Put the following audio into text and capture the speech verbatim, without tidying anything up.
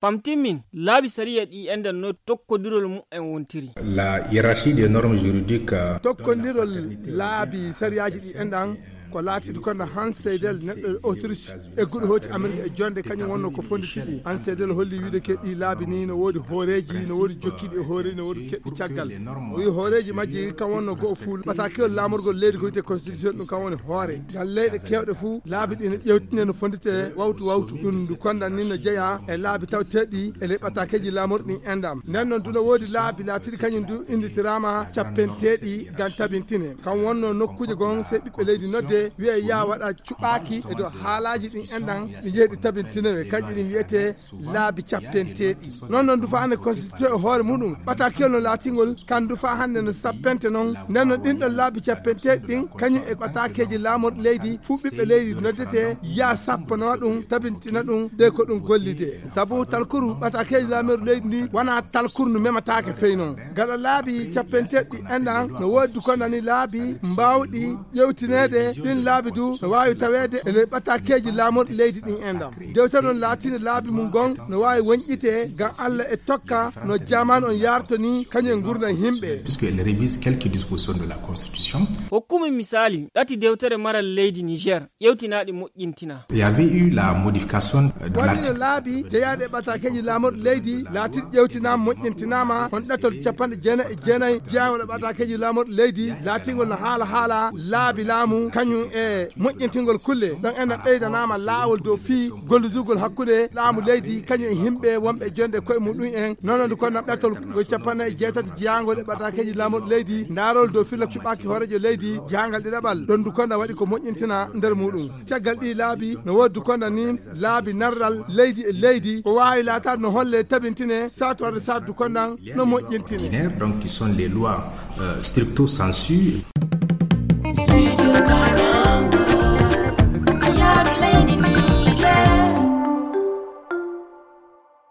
Am timmin, laabi sariya ɗi enɗan no tokkodirol mumen wontiri. La hiérarchie des normes juridiques, euh, tokkondirol laabi sariyaaji ɗi enɗan ko laatiiɗo kono han seydel neɗɗo Autriche e guɗo hooti Amerique e jonde kañum wonno ko fonditiɗi. Han seydel holli wiide ke ɗi laabi ni no woodi hooreeji, no woodi jokkiiɗi e hooreeji, no woodi keɓɓi caggal. O wi hooreeji majji kam wonno go'o fuu ɓatakiwol laamorgol leydi ko wiyte constitution ɗum kam woni hoore. Ngal leyɗe kewɗe fuu laabi ɗi no ƴewtine no fondite wawtu wawtu. Ɗum ndu kondan ni no jeya e laabi tawteeɗi e ley ɓatakeeji laamorɗi ɗin enɗam. Nden noon duno woodi laabi laatiɗi kañum du innditiraama cappenteeɗi ngam tabintine. Kam wonno nokkuuje gon sey ɓiɓɓe leydi nodde wiye yaa waɗa cuɓaaki e dow haalaaji ɗin enɗan ɗi jeeɗi tabintinowe kanƴi ɗin wiyetee laabi cappenteeɗi. Noon noon dufa hannde constitution e hoore muɗum ɓatakiyol no laatingol kan dufa hannde no sappente noon. Nden no ɗin ɗon laabi cappenteeɗi ɗin kañum e ɓatakeeji laamorɗi leydi fuu ɓiɓɓe leydi noddete yaa sappanoo ɗum tabintina ɗum de ko ɗum gollide. Sabu talkuru ɓatakeeji laamorɗi leydi ndi wona talkuru no memataake fey noon. Gaɗa laabi cappenteeɗi enɗan no woodi konani laabi mbaawɗi ƴewtineede. Ɗin laabi du no waawi taweede e nder ɓatakeeji laamorɗi leydi ɗin enɗan. Dewtere noon laatiinde laabi mum gon no waawi woñƴite ngam Allah e tokka no jamaanu on yaartoni kañum e ngurndan yimɓe. Puisqu'elle révise quelques dispositions de la Constitution. Hokkumi misaali ɗati dewtere maral leydi Niger ƴewtinaaɗi moƴƴintina. Il y avait eu la modification, euh, de waɗino l'article laabi jeyaaɗe ɓatakeeji laamorɗi leydi laatiɗi ƴewtinaama moƴƴintinaama on ɗatol capanɗe jeenayi e jeenayi jeyangol e ɓatakeeji laamorɗi leydi laatingol no haala haala laabi laamu kañum e moƴƴintingol kulle ɗon enen ɓeydanaama laawol dow fii gollidugol hakkunde laamu leydi kañum e yimɓe wonɓe jonde koye muɗum en nononde konnam ɗatol ko capanɗe e jeetati jeyangol e ɓatakeeji laamorɗi leydi ndaarol dow filla cuɓaaki hooreejo leydi jeyangal ɗiɗaɓal ɗon du konnam waɗi ko moƴƴintina nder muɗum. Caggal ɗii laabi no woodi du konnam ni laabi narral leydi e leydi ko waawi laataade no holle tabintine saatu warde saatu du konnam no moƴƴintine. Donc qui sont les lois, euh, stricto sensu.